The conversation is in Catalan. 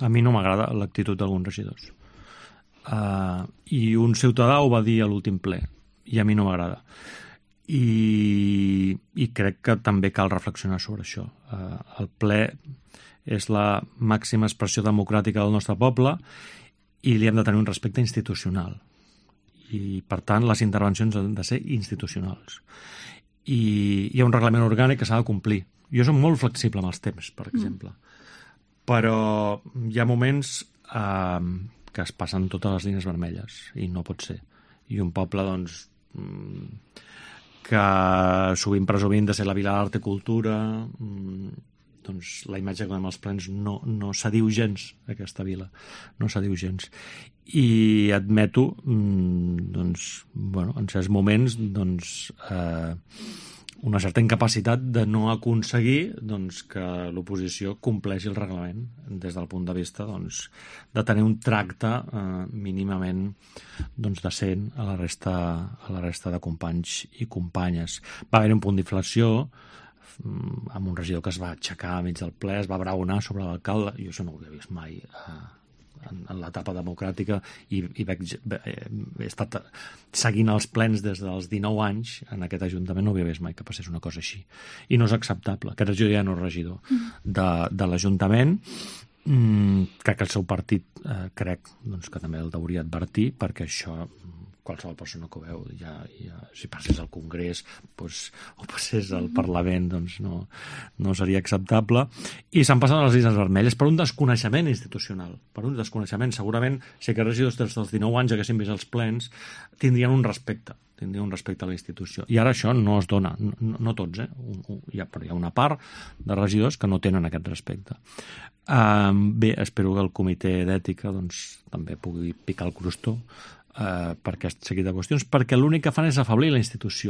A mi no m'agrada l'actitud d'alguns regidors. I un ciutadà ho va dir a l'últim ple, i a mi no m'agrada. I crec que també cal reflexionar sobre això. El ple és la màxima expressió democràtica del nostre poble i li hem de tenir un respecte institucional. I, per tant, les intervencions han de ser institucionals. I hi ha un reglament orgànic que s'ha de complir. Jo soc molt flexible amb els temps, per exemple. Però hi ha moments que es passen totes les línies vermelles i no pot ser. I un poble, doncs, que sovint presumint de ser la vila d'art i cultura, doncs la imatge que donem als plens no s'adiu gens, aquesta vila. No s'adiu gens. I admeto, doncs, bueno, en certs moments, doncs, una certa incapacitat de no aconseguir doncs, que l'oposició compleixi el reglament des del punt de vista doncs, de tenir un tracte mínimament doncs, decent a la resta de companys i companyes. Va haver un punt d'inflació amb un regidor que es va aixecar a mig del ple, es va braonar sobre l'alcalde. Jo això no ho havia vist mai en l'etapa democràtica i he estat seguint els plens des dels 19 anys en aquest Ajuntament, no havia vist mai que passés una cosa així. I no és acceptable. Aquest regidor ja no és regidor de l'Ajuntament. Crec que el seu partit crec doncs, que també el hauria advertir, perquè això qualsevol persona que ho veu si passés al Congrés doncs, o passés al Parlament doncs no seria acceptable. I s'han passat les línies vermelles per un desconeixement institucional, per un desconeixement. Segurament si aquests regidors des dels 19 anys haguessin vist els plens tindrien un respecte a la institució. I ara això no es dona, no tots, però hi ha una part de regidors que no tenen aquest respecte. Bé, espero que el comitè d'ètica doncs, també pugui picar el crostó per aquest seguit de qüestions, perquè l'únic que fan és afeblir la institució.